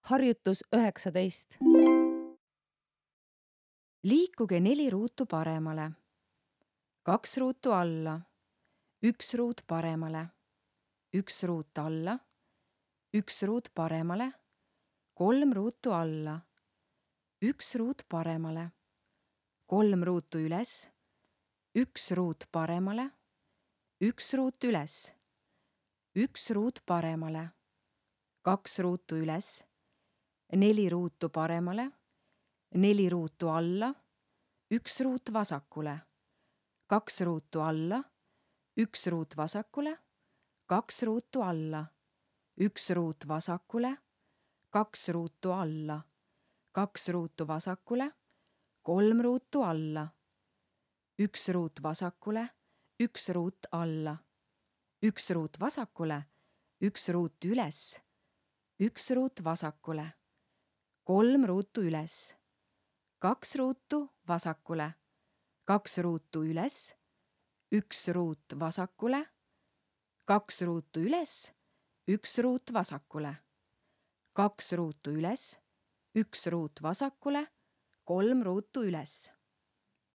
Harjutus 19. Liikuge 4 ruutu paremale, 2 ruutu alla, 1 ruut paremale, 1 ruut alla, 1 ruut paremale, 3 ruutu alla, 1 ruut paremale, 3 ruutu üles, 1 ruut paremale, 1 ruut üles, 1 ruut paremale, 2 ruutu üles, 4 ruutu paremale, 4 ruutu alla, 1 ruut vasakule, 2 ruutu alla, 1 ruut vasakule, 2 ruutu alla, 1 ruut vasakule, 2 ruutu alla, 2 ruutu vasakule, 3 ruutu alla, 1 ruut vasakule, 1 ruut alla, 1 ruut vasakule, 1 ruut üles, 1 ruut vasakule, 3 ruutu üles, 2 ruutu vasakule, 2 ruutu üles, 1 ruut vasakule, 2 ruutu üles, 1 ruut vasakule, 2 ruutu üles, 1 ruut vasakule, 3 ruutu üles.